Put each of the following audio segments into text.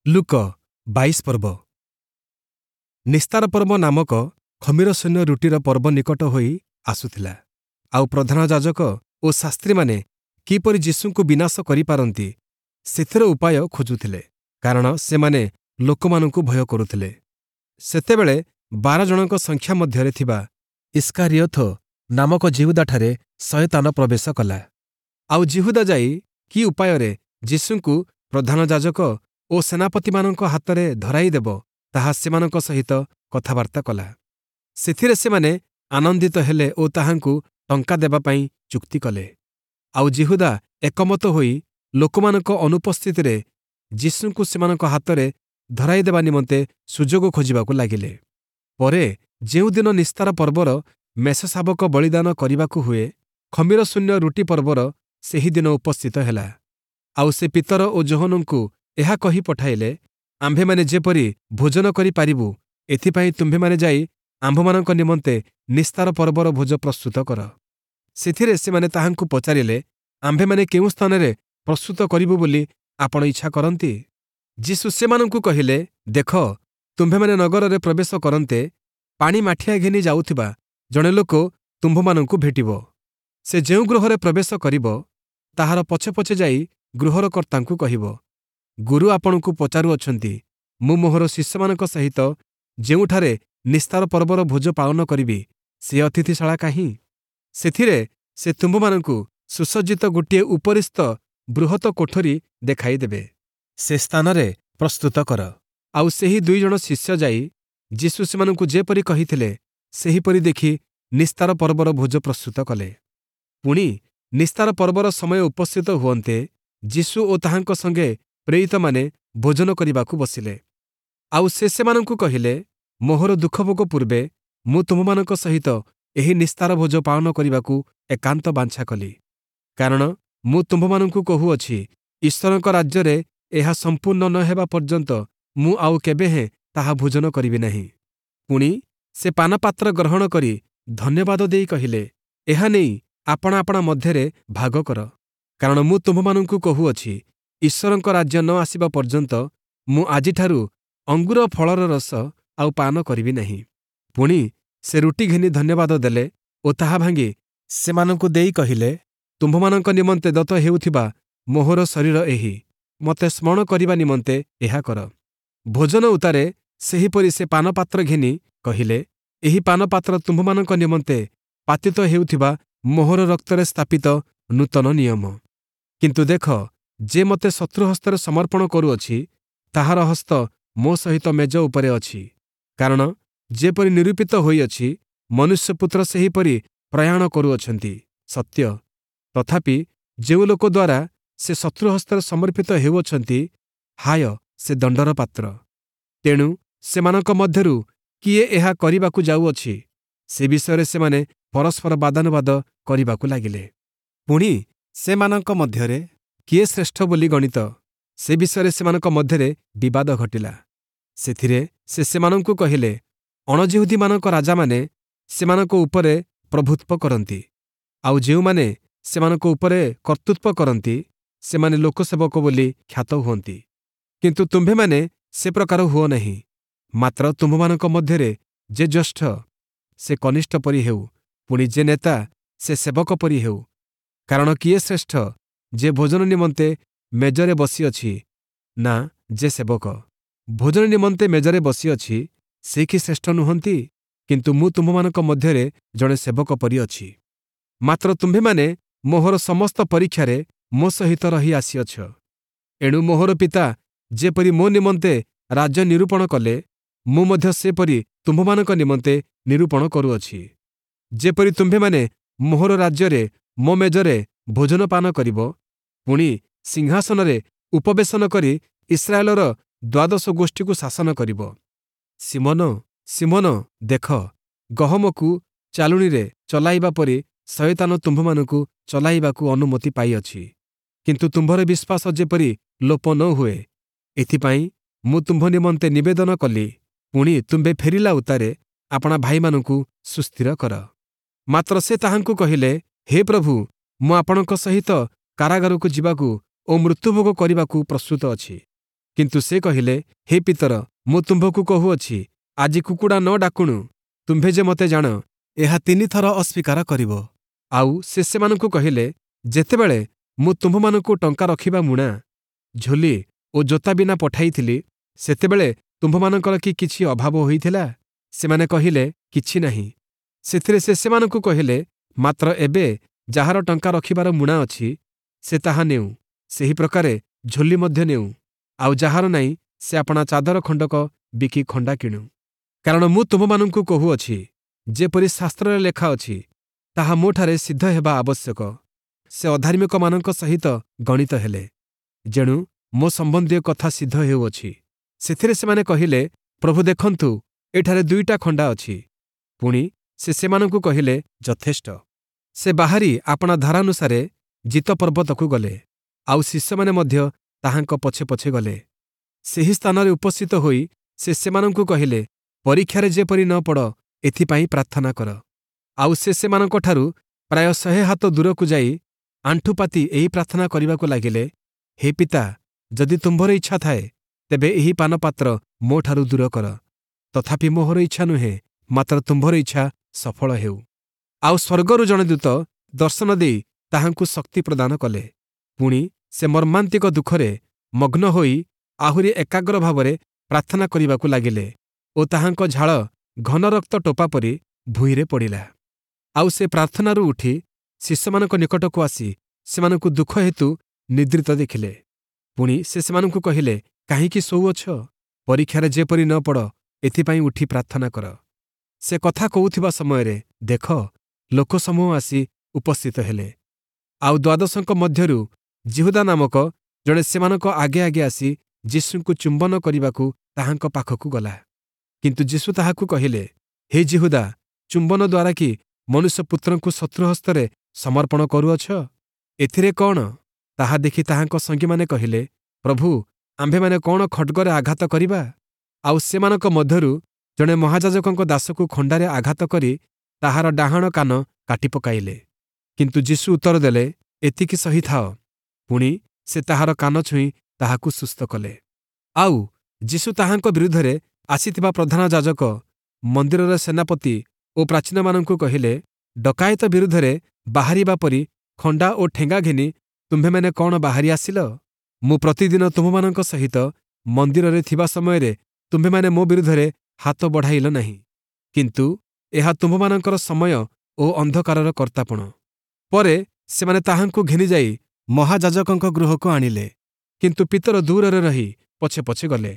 ଲୂକ 22 ପର୍ବ। ନିସ୍ତାର ପର୍ବ ନାମକ ଖମୀରଶୂନ୍ୟ ରୁଟିର ପର୍ବ ନିକଟ ହୋଇ ଆସୁଥିଲା। ଆଉ ପ୍ରଧାନ ଯାଜକ ଓ ଶାସ୍ତ୍ରୀମାନେ କିପରି ଯୀଶୁଙ୍କୁ ବିନାଶ କରିପାରନ୍ତି, ସେଥିର ଉପାୟ ଖୋଜୁଥିଲେ, କାରଣ ସେମାନେ ଲୋକମାନଙ୍କୁ ଭୟ କରୁଥିଲେ। ସେତେବେଳେ 12 ଜଣଙ୍କ ସଂଖ୍ୟା ମଧ୍ୟରେ ଥିବା ଇସ୍କାରିୟୋଥ ନାମକ ଯିହୁଦାଠାରେ ଶୟତାନ ପ୍ରବେଶ କଲା। ଆଉ ଯିହୁଦା ଯାଇ କି ଉପାୟରେ ଯୀଶୁଙ୍କୁ ପ୍ରଧାନ ଯାଜକ ଓ ସେନାପତିମାନଙ୍କ ହାତରେ ଧରାଇଦେବ, ତାହା ସେମାନଙ୍କ ସହିତ କଥାବାର୍ତ୍ତା କଲା। ସେଥିରେ ସେମାନେ ଆନନ୍ଦିତ ହେଲେ ଓ ତାହାଙ୍କୁ ଟଙ୍କା ଦେବା ପାଇଁ ଚୁକ୍ତି କଲେ। ଆଉ ଯିହୁଦା ଏକମତ ହୋଇ ଲୋକମାନଙ୍କ ଅନୁପସ୍ଥିତିରେ ଯୀଶୁଙ୍କୁ ସେମାନଙ୍କ ହାତରେ ଧରାଇଦେବା ନିମନ୍ତେ ସୁଯୋଗ ଖୋଜିବାକୁ ଲାଗିଲେ। ପରେ ଯେଉଁଦିନ ନିସ୍ତାର ପର୍ବର ମେଷଶାବକ ବଳିଦାନ କରିବାକୁ ହୁଏ, ଖମୀରଶୂନ୍ୟ ରୁଟି ପର୍ବର ସେହି ଦିନ ଉପସ୍ଥିତ ହେଲା। ଆଉ ସେ ପିତର ଓ ଯୋହନଙ୍କୁ ଏହା କହି ପଠାଇଲେ, ଆମ୍ଭେମାନେ ଯେପରି ଭୋଜନ କରିପାରିବୁ, ଏଥିପାଇଁ ତୁମ୍ଭେମାନେ ଯାଇ ଆମ୍ଭମାନଙ୍କ ନିମନ୍ତେ ନିସ୍ତାର ପର୍ବର ଭୋଜ ପ୍ରସ୍ତୁତ କର। ସେଥିରେ ସେମାନେ ତାହାଙ୍କୁ ପଚାରିଲେ, ଆମ୍ଭେମାନେ କେଉଁ ସ୍ଥାନରେ ପ୍ରସ୍ତୁତ କରିବୁ ବୋଲି ଆପଣ ଇଚ୍ଛା କରନ୍ତି? ଯୀଶୁ ସେମାନଙ୍କୁ କହିଲେ, ଦେଖ, ତୁମ୍ଭେମାନେ ନଗରରେ ପ୍ରବେଶ କରନ୍ତେ ପାଣି ମାଠିଆ ଘେନି ଯାଉଥିବା ଜଣେ ଲୋକ ତୁମ୍ଭମାନଙ୍କୁ ଭେଟିବ। ସେ ଯେଉଁ ଗୃହରେ ପ୍ରବେଶ କରିବ, ତାହାର ପଛେ ପଛେ ଯାଇ ଗୃହର କର୍ତ୍ତାଙ୍କୁ କହିବ, ଗୁରୁ ଆପଣଙ୍କୁ ପଚାରୁଅଛନ୍ତି, ମୁଁ ମୋହର ଶିଷ୍ୟମାନଙ୍କ ସହିତ ଯେଉଁଠାରେ ନିସ୍ତାର ପର୍ବର ଭୋଜ ପାଳନ କରିବି, ସେ ଅତିଥିଶାଳା କାହିଁ? ସେଥିରେ ସେ ତୁମ୍ଭମାନଙ୍କୁ ସୁସଜ୍ଜିତ ଗୋଟିଏ ଉପରିସ୍ଥ ବୃହତ କୋଠରୀ ଦେଖାଇଦେବେ। ସେ ସ୍ଥାନରେ ପ୍ରସ୍ତୁତ କର। ଆଉ ସେହି 2 ଜଣ ଶିଷ୍ୟ ଯାଇ ଯୀଶୁ ସେମାନଙ୍କୁ ଯେପରି କହିଥିଲେ, ସେହିପରି ଦେଖି ନିସ୍ତାର ପର୍ବର ଭୋଜ ପ୍ରସ୍ତୁତ କଲେ। ପୁଣି ନିସ୍ତାର ପର୍ବର ସମୟ ଉପସ୍ଥିତ ହୁଅନ୍ତେ, ଯୀଶୁ ଓ ତାହାଙ୍କ ସଙ୍ଗେ ପ୍ରେରିତମାନେ ଭୋଜନ କରିବାକୁ ବସିଲେ। ଆଉ ସେ ସେମାନଙ୍କୁ କହିଲେ, ମୋହର ଦୁଃଖଭୋଗ ପୂର୍ବେ ମୁଁ ତୁମ୍ଭମାନଙ୍କ ସହିତ ଏହି ନିସ୍ତାର ଭୋଜ ପାଳନ କରିବାକୁ ଏକାନ୍ତ ବାଞ୍ଛା କଲି। କାରଣ ମୁଁ ତୁମ୍ଭମାନଙ୍କୁ କହୁଅଛି, ଈଶ୍ୱରଙ୍କ ରାଜ୍ୟରେ ଏହା ସମ୍ପୂର୍ଣ୍ଣ ନ ହେବା ପର୍ଯ୍ୟନ୍ତ ମୁଁ ଆଉ କେବେହେଁ ତାହା ଭୋଜନ କରିବି ନାହିଁ। ପୁଣି ସେ ପାନପାତ୍ର ଗ୍ରହଣ କରି ଧନ୍ୟବାଦ ଦେଇ କହିଲେ, ଏହା ନେଇ ଆପଣା ଆପଣା ମଧ୍ୟରେ ଭାଗ କର। କାରଣ ମୁଁ ତୁମ୍ଭମାନଙ୍କୁ କହୁଅଛି, ଈଶ୍ୱରଙ୍କ ରାଜ୍ୟ ନ ଆସିବା ପର୍ଯ୍ୟନ୍ତ ମୁଁ ଆଜିଠାରୁ ଅଙ୍ଗୁର ଫଳର ରସ ଆଉ ପାନ କରିବି ନାହିଁ। ପୁଣି ସେ ରୁଟି ଘେନି ଧନ୍ୟବାଦ ଦେଲେ ଓ ତାହା ଭାଙ୍ଗି ସେମାନଙ୍କୁ ଦେଇ କହିଲେ, ତୁମ୍ଭମାନଙ୍କ ନିମନ୍ତେ ଦତ୍ତ ହେଉଥିବା ମୋହର ଶରୀର ଏହି। ମୋତେ ସ୍ମରଣ କରିବା ନିମନ୍ତେ ଏହା କର। ଭୋଜନ ଉତ୍ତାରେ ସେହିପରି ସେ ପାନପାତ୍ର ଘେନି କହିଲେ, ଏହି ପାନପାତ୍ର ତୁମ୍ଭମାନଙ୍କ ନିମନ୍ତେ ପାତିତ ହେଉଥିବା ମୋହର ରକ୍ତରେ ସ୍ଥାପିତ ନୂତନ ନିୟମ। କିନ୍ତୁ ଦେଖ, ଯେ ମୋତେ ଶତ୍ରୁହସ୍ତରେ ସମର୍ପଣ କରୁଅଛି, ତାହାର ହସ୍ତ ମୋ ସହିତ ମେଜ ଉପରେ ଅଛି। କାରଣ ଯେପରି ନିରୂପିତ ହୋଇଅଛି, ମନୁଷ୍ୟପୁତ୍ର ସେହିପରି ପ୍ରୟାଣ କରୁଅଛନ୍ତି ସତ୍ୟ, ତଥାପି ଯେଉଁ ଲୋକ ଦ୍ୱାରା ସେ ଶତ୍ରୁହସ୍ତରେ ସମର୍ପିତ ହେଉଅଛନ୍ତି, ହାୟ, ସେ ଦଣ୍ଡର ପାତ୍ର। ତେଣୁ ସେମାନଙ୍କ ମଧ୍ୟରୁ କିଏ ଏହା କରିବାକୁ ଯାଉଅଛି, ସେ ବିଷୟରେ ସେମାନେ ପରସ୍ପର ବାଦାନୁବାଦ କରିବାକୁ ଲାଗିଲେ। ପୁଣି ସେମାନଙ୍କ ମଧ୍ୟରେ କିଏ ଶ୍ରେଷ୍ଠ ବୋଲି ଗଣିତ, ସେ ବିଷୟରେ ସେମାନଙ୍କ ମଧ୍ୟରେ ବିବାଦ ଘଟିଲା। ସେଥିରେ ସେ ସେମାନଙ୍କୁ କହିଲେ, ଅଣଯିହୁଦୀମାନଙ୍କ ରାଜାମାନେ ସେମାନଙ୍କ ଉପରେ ପ୍ରଭୁତ୍ୱ କରନ୍ତି, ଆଉ ଯେଉଁମାନେ ସେମାନଙ୍କ ଉପରେ କର୍ତ୍ତୃତ୍ୱ କରନ୍ତି, ସେମାନେ ଲୋକସେବକ ବୋଲି ଖ୍ୟାତ ହୁଅନ୍ତି। କିନ୍ତୁ ତୁମ୍ଭେମାନେ ସେ ପ୍ରକାର ହୁଅ ନାହିଁ। ମାତ୍ର ତୁମ୍ଭମାନଙ୍କ ମଧ୍ୟରେ ଯେ ଜ୍ୟେଷ୍ଠ, ସେ କନିଷ୍ଠ ପରି ହେଉ, ପୁଣି ଯେ ନେତା, ସେ ସେବକ ପରି ହେଉ। କାରଣ କିଏ ଶ୍ରେଷ୍ଠ, ଯେ ଭୋଜନ ନିମନ୍ତେ ମେଜରେ ବସିଅଛି ନା ଯେ ସେବକ ଭୋଜନ ନିମନ୍ତେ ମେଜରେ ବସିଅଛି, ସେ କି ଶ୍ରେଷ୍ଠ ନୁହନ୍ତି? କିନ୍ତୁ ମୁଁ ତୁମ୍ଭମାନଙ୍କ ମଧ୍ୟରେ ଜଣେ ସେବକ ପରି ଅଛି। ମାତ୍ର ତୁମ୍ଭେମାନେ ମୋହର ସମସ୍ତ ପରୀକ୍ଷାରେ ମୋ ସହିତ ରହି ଆସିଅଛ। ଏଣୁ ମୋହର ପିତା ଯେପରି ମୋ ନିମନ୍ତେ ରାଜ୍ୟ ନିରୂପଣ କଲେ, ମୁଁ ମଧ୍ୟ ସେପରି ତୁମ୍ଭମାନଙ୍କ ନିମନ୍ତେ ନିରୂପଣ କରୁଅଛି, ଯେପରି ତୁମ୍ଭେମାନେ ମୋହର ରାଜ୍ୟରେ ମୋ ମେଜରେ ଭୋଜନ ପାନ କରିବ, ପୁଣି ସିଂହାସନରେ ଉପବେଶନ କରି ଇସ୍ରାଏଲର ଦ୍ୱାଦଶ ଗୋଷ୍ଠୀକୁ ଶାସନ କରିବ। ଶିମୋନ, ଶିମୋନ, ଦେଖ, ଗହମକୁ ଚାଲୁଣିରେ ଚଲାଇବା ପରି ଶୟତାନ ତୁମ୍ଭମାନଙ୍କୁ ଚଲାଇବାକୁ ଅନୁମତି ପାଇଅଛି। କିନ୍ତୁ ତୁମ୍ଭର ବିଶ୍ୱାସ ଯେପରି ଲୋପ ନ ହୁଏ, ଏଥିପାଇଁ ମୁଁ ତୁମ୍ଭ ନିମନ୍ତେ ନିବେଦନ କଲି। ପୁଣି ତୁମ୍ଭେ ଫେରିଲା ଉତ୍ତାରେ ଆପଣା ଭାଇମାନଙ୍କୁ ସୁସ୍ଥିର କର। ମାତ୍ର ସେ ତାହାଙ୍କୁ କହିଲେ, ହେ ପ୍ରଭୁ, ମୁଁ ଆପଣଙ୍କ ସହିତ କାରାଗାରକୁ ଯିବାକୁ ଓ ମୃତ୍ୟୁଭୋଗ କରିବାକୁ ପ୍ରସ୍ତୁତ ଅଛି। କିନ୍ତୁ ସେ କହିଲେ, ହେ ପିତର, ମୁଁ ତୁମ୍ଭକୁ କହୁଅଛି, ଆଜି କୁକୁଡ଼ା ନ ଡାକୁଣୁ ତୁମ୍ଭେ ଯେ ମୋତେ ଜାଣ, ଏହା 3 ଥର ଅସ୍ୱୀକାର କରିବ। ଆଉ ସେ ସେମାନଙ୍କୁ କହିଲେ, ଯେତେବେଳେ ମୁଁ ତୁମ୍ଭମାନଙ୍କୁ ଟଙ୍କା ରଖିବା ମୁଣା, ଝୋଲି ଓ ଜୋତା ବିନା ପଠାଇଥିଲି, ସେତେବେଳେ ତୁମ୍ଭମାନଙ୍କର କି କିଛି ଅଭାବ ହୋଇଥିଲା? ସେମାନେ କହିଲେ, କିଛି ନାହିଁ। ସେଥିରେ ସେ ସେମାନଙ୍କୁ କହିଲେ, ମାତ୍ର ଏବେ ଯାହାର ଟଙ୍କା ରଖିବାର ମୁଣା ଅଛି, ସେ ତାହା ନେଉ, ସେହି ପ୍ରକାରେ ଝୋଲି ମଧ୍ୟ ନେଉ। ଆଉ ଯାହାର ନାହିଁ, ସେ ଆପଣା ଚାଦର ଖଣ୍ଡକ ବିକି ଖଣ୍ଡା କିଣୁ। କାରଣ ମୁଁ ତୁମ୍ଭମାନଙ୍କୁ କହୁଅଛି, ଯେପରି ଶାସ୍ତ୍ରରେ ଲେଖା ଅଛି, ତାହା ମୋଠାରେ ସିଦ୍ଧ ହେବା ଆବଶ୍ୟକ, ସେ ଅଧାର୍ମିକମାନଙ୍କ ସହିତ ଗଣିତ ହେଲେ। ଯେଣୁ ମୋ ସମ୍ବନ୍ଧୀୟ କଥା ସିଦ୍ଧ ହେଉଅଛି। ସେଥିରେ ସେମାନେ କହିଲେ, ପ୍ରଭୁ ଦେଖନ୍ତୁ, ଏଠାରେ ଦୁଇଟା ଖଣ୍ଡା ଅଛି। ପୁଣି ସେ ସେମାନଙ୍କୁ କହିଲେ, ଯଥେଷ୍ଟ। ସେ ବାହାରି ଆପଣା ଧାରାନୁସାରେ ଜିତ ପର୍ବତକୁ ଗଲେ, ଆଉ ଶିଷ୍ୟମାନେ ମଧ୍ୟ ତାହାଙ୍କ ପଛେ ପଛେ ଗଲେ। ସେହି ସ୍ଥାନରେ ଉପସ୍ଥିତ ହୋଇ ସେ ସେମାନଙ୍କୁ କହିଲେ, ପରୀକ୍ଷାରେ ଯେପରି ନ ପଡ଼, ଏଥିପାଇଁ ପ୍ରାର୍ଥନା କର। ଆଉ ସେ ସେମାନଙ୍କଠାରୁ ପ୍ରାୟ 100 ହାତ ଦୂରକୁ ଯାଇ ଆଣ୍ଠୁପାତି ଏହି ପ୍ରାର୍ଥନା କରିବାକୁ ଲାଗିଲେ, ହେ ପିତା, ଯଦି ତୁମ୍ଭର ଇଚ୍ଛା ଥାଏ, ତେବେ ଏହି ପାନପାତ୍ର ମୋଠାରୁ ଦୂର କର। ତଥାପି ମୋହର ଇଚ୍ଛା ନୁହେଁ, ମାତ୍ର ତୁମ୍ଭର ଇଚ୍ଛା ସଫଳ ହେଉ। ଆଉ ସ୍ୱର୍ଗରୁ ଜଣେ ଦୂତ ଦର୍ଶନ ଦେଇ ତାହାଙ୍କୁ ଶକ୍ତି ପ୍ରଦାନ କଲେ। ପୁଣି ସେ ମର୍ମାନ୍ତିକ ଦୁଃଖରେ ମଗ୍ନ ହୋଇ ଆହୁରି ଏକାଗ୍ର ଭାବରେ ପ୍ରାର୍ଥନା କରିବାକୁ ଲାଗିଲେ ଓ ତାହାଙ୍କ ଝାଳ ଘନ ରକ୍ତ ଟୋପା ପରି ଭୂଇଁରେ ପଡ଼ିଲା। ଆଉ ସେ ପ୍ରାର୍ଥନାରୁ ଉଠି ଶିଷ୍ୟମାନଙ୍କ ନିକଟକୁ ଆସି ସେମାନଙ୍କୁ ଦୁଃଖ ହେତୁ ନିଦ୍ରିତ ଦେଖିଲେ। ପୁଣି ସେ ସେମାନଙ୍କୁ କହିଲେ, କାହିଁକି ଶୋଉଅଛ? ପରୀକ୍ଷାରେ ଯେପରି ନ ପଡ଼, ଏଥିପାଇଁ ଉଠି ପ୍ରାର୍ଥନା କର। ସେ କଥା କହୁଥିବା ସମୟରେ ଦେଖ, ଲୋକସମୂହ ଆସି ଉପସ୍ଥିତ ହେଲେ। ଆଉ ଦ୍ୱାଦଶଙ୍କ ମଧ୍ୟରୁ ଯିହୁଦା ନାମକ ଜଣେ ସେମାନଙ୍କ ଆଗେ ଆଗେ ଆସି ଯୀଶୁଙ୍କୁ ଚୁମ୍ବନ କରିବାକୁ ତାହାଙ୍କ ପାଖକୁ ଗଲା। କିନ୍ତୁ ଯୀଶୁ ତାହାକୁ କହିଲେ, ହେ ଯିହୁଦା, ଚୁମ୍ବନ ଦ୍ୱାରା କି ମନୁଷ୍ୟପୁତ୍ରଙ୍କୁ ଶତ୍ରୁ ହସ୍ତରେ ସମର୍ପଣ କରୁଅଛ? ଏଥିରେ କଣ? ତାହା ଦେଖି ତାହାଙ୍କ ସଙ୍ଗୀମାନେ କହିଲେ, ପ୍ରଭୁ, ଆମ୍ଭେମାନେ କଣ ଖଡ଼୍ଗରେ ଆଘାତ କରିବା? ଆଉ ସେମାନଙ୍କ ମଧ୍ୟରୁ ଜଣେ ମହାଯାଜକଙ୍କ ଦାସକୁ ଖଣ୍ଡାରେ ଆଘାତ କରି ତାହାର ଡାହାଣ କାନ କାଟି ପକାଇଲେ। କିନ୍ତୁ ଯୀଶୁ ଉତ୍ତର ଦେଲେ, ଏତିକି ସହିଥାଅ। ପୁଣି ସେ ତାହାର କାନ ଛୁଇଁ ତାହାକୁ ସୁସ୍ଥ କଲେ। ଆଉ ଯୀଶୁ ତାହାଙ୍କ ବିରୁଦ୍ଧରେ ଆସିଥିବା ପ୍ରଧାନ ଯାଜକ, ମନ୍ଦିରର ସେନାପତି ଓ ପ୍ରାଚୀନମାନଙ୍କୁ କହିଲେ, ଡକାୟତ ବିରୁଦ୍ଧରେ ବାହାରିବା ପରି ଖଣ୍ଡା ଓ ଠେଙ୍ଗା ଘେନି ତୁମ୍ଭେମାନେ କଣ ବାହାରି ଆସିଲ? ମୁଁ ପ୍ରତିଦିନ ତୁମ୍ଭମାନଙ୍କ ସହିତ ମନ୍ଦିରରେ ଥିବା ସମୟରେ ତୁମ୍ଭେମାନେ ମୋ ବିରୁଦ୍ଧରେ ହାତ ବଢ଼ାଇଲ ନାହିଁ। କିନ୍ତୁ ଏହା ତୁମ୍ଭମାନଙ୍କର ସମୟ ଓ ଅନ୍ଧକାରର କର୍ତ୍ତାପଣ। ପରେ ସେମାନେ ତାହାଙ୍କୁ ଘେନିଯାଇ ମହାଯାଜକଙ୍କ ଗୃହକୁ ଆଣିଲେ। କିନ୍ତୁ ପିତର ଦୂରରେ ରହି ପଛେ ପଛେ ଗଲେ।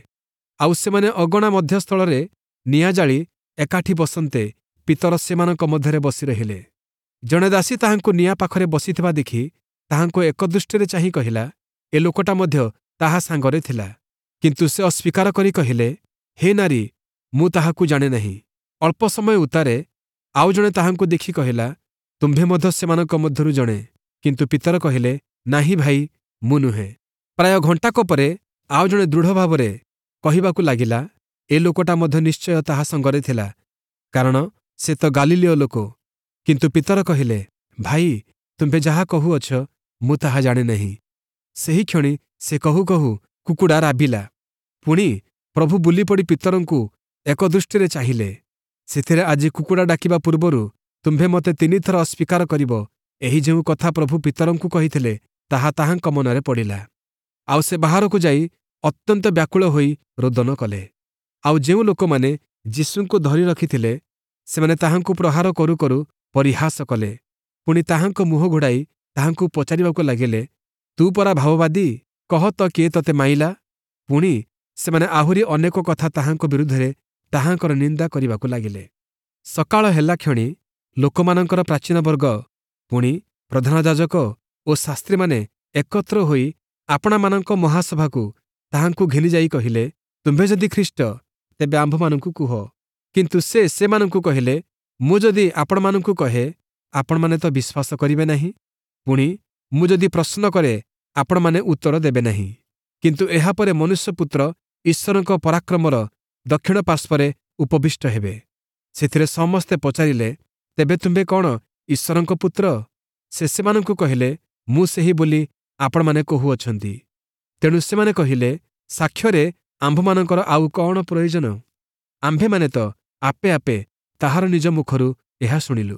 ଆଉ ସେମାନେ ଅଗଣା ମଧ୍ୟସ୍ଥଳରେ ନିଆଁ ଜାଳି ଏକାଠି ବସନ୍ତେ ପିତର ସେମାନଙ୍କ ମଧ୍ୟରେ ବସି ରହିଲେ। ଜଣେ ଦାସୀ ତାହାଙ୍କୁ ନିଆଁ ପାଖରେ ବସିଥିବା ଦେଖି ତାହାଙ୍କୁ ଏକଦୃଷ୍ଟିରେ ଚାହିଁ କହିଲା, ଏ ଲୋକଟା ମଧ୍ୟ ତାହା ସାଙ୍ଗରେ ଥିଲା। କିନ୍ତୁ ସେ ଅସ୍ୱୀକାର କରି କହିଲେ, ହେ ନାରୀ, ମୁଁ ତାହାକୁ ଜାଣେ ନାହିଁ। ଅଳ୍ପ ସମୟ ଉତ୍ତାରେ ଆଉ ଜଣେ ତାହାଙ୍କୁ ଦେଖି କହିଲା, ତୁମ୍ଭେ ମଧ୍ୟ ସେମାନଙ୍କ ମଧ୍ୟରୁ ଜଣେ। କିନ୍ତୁ ପିତର କହିଲେ, ନାହିଁ ଭାଇ, ମୁଁ ନୁହେଁ। ପ୍ରାୟ ଘଣ୍ଟାକ ପରେ ଆଉ ଜଣେ ଦୃଢ଼ ଭାବରେ କହିବାକୁ ଲାଗିଲା, ଏ ଲୋକଟା ମଧ୍ୟ ନିଶ୍ଚୟ ତାହା ସଙ୍ଗରେ ଥିଲା, କାରଣ ସେ ତ ଗାଲିଲୀୟ ଲୋକ। କିନ୍ତୁ ପିତର କହିଲେ, ଭାଇ, ତୁମ୍ଭେ ଯାହା କହୁଅଛ, ମୁଁ ତାହା ଜାଣେ ନାହିଁ। ସେହିକ୍ଷଣି ସେ କହୁ କହୁ କୁକୁଡ଼ା ରାବିଲା। ପୁଣି ପ୍ରଭୁ ବୁଲିପଡ଼ି ପିତରଙ୍କୁ ଏକ ଦୃଷ୍ଟିରେ ଚାହିଁଲେ। ସେଥିରେ ଆଜି କୁକୁଡ଼ା ଡାକିବା ପୂର୍ବରୁ ତୁମ୍ଭେ ମୋତେ ତିନିଥର ଅସ୍ୱୀକାର କରିବ, ଏହି ଯେଉଁ କଥା ପ୍ରଭୁ ପିତରଙ୍କୁ କହିଥିଲେ, ତାହା ତାହାଙ୍କ ମନରେ ପଡ଼ିଲା। ଆଉ ସେ ବାହାରକୁ ଯାଇ ଅତ୍ୟନ୍ତ ବ୍ୟାକୁଳ ହୋଇ ରୋଦନ କଲେ। ଆଉ ଯେଉଁ ଲୋକମାନେ ଯୀଶୁଙ୍କୁ ଧରି ରଖିଥିଲେ, ସେମାନେ ତାହାଙ୍କୁ ପ୍ରହାର କରୁ କରୁ ପରିହାସ କଲେ। ପୁଣି ତାହାଙ୍କ ମୁହଁ ଘୋଡ଼ାଇ ତାହାଙ୍କୁ ପଚାରିବାକୁ ଲାଗିଲେ, ତୁ ପରା ଭାବବାଦୀ, କହ ତ କିଏ ତତେ ମାଇଲା? ପୁଣି ସେମାନେ ଆହୁରି ଅନେକ କଥା ତାହାଙ୍କ ବିରୁଦ୍ଧରେ ତାହାଙ୍କର ନିନ୍ଦା କରିବାକୁ ଲାଗିଲେ। ସକାଳ ହେଲା କ୍ଷଣି ଲୋକମାନଙ୍କର ପ୍ରାଚୀନବର୍ଗ, ପୁଣି ପ୍ରଧାନ ଯାଜକ ଓ ଶାସ୍ତ୍ରୀମାନେ ଏକତ୍ର ହୋଇ ଆପଣାମାନଙ୍କ ମହାସଭାକୁ ତାହାଙ୍କୁ ଘେନିଯାଇ କହିଲେ, ତୁମ୍ଭେ ଯଦି ଖ୍ରୀଷ୍ଟ, ତେବେ ଆମ୍ଭମାନଙ୍କୁ କୁହ। କିନ୍ତୁ ସେ ସେମାନଙ୍କୁ କହିଲେ, ମୁଁ ଯଦି ଆପଣମାନଙ୍କୁ କହେ, ଆପଣମାନେ ତ ବିଶ୍ୱାସ କରିବେ ନାହିଁ। ପୁଣି ମୁଁ ଯଦି ପ୍ରଶ୍ନ କରେ, ଆପଣମାନେ ଉତ୍ତର ଦେବେ ନାହିଁ। କିନ୍ତୁ ଏହାପରେ ମନୁଷ୍ୟପୁତ୍ର ଈଶ୍ୱରଙ୍କ ପରାକ୍ରମର ଦକ୍ଷିଣ ପାର୍ଶ୍ୱରେ ଉପବିଷ୍ଟ ହେବେ। ସେଥିରେ ସମସ୍ତେ ପଚାରିଲେ, ତେବେ ତୁମ୍ଭେ କଣ ଈଶ୍ୱରଙ୍କ ପୁତ୍ର? ସେ ସେମାନଙ୍କୁ କହିଲେ, ମୁଁ ସେହି ବୋଲି ଆପଣମାନେ କହୁଅଛନ୍ତି। ତେଣୁ ସେମାନେ କହିଲେ, ସାକ୍ଷ୍ୟରେ ଆମ୍ଭମାନଙ୍କର ଆଉ କଅଣ ପ୍ରୟୋଜନ? ଆମ୍ଭେମାନେ ତ ଆପେ ଆପେ ତାହାର ନିଜ ମୁଖରୁ ଏହା ଶୁଣିଲୁ।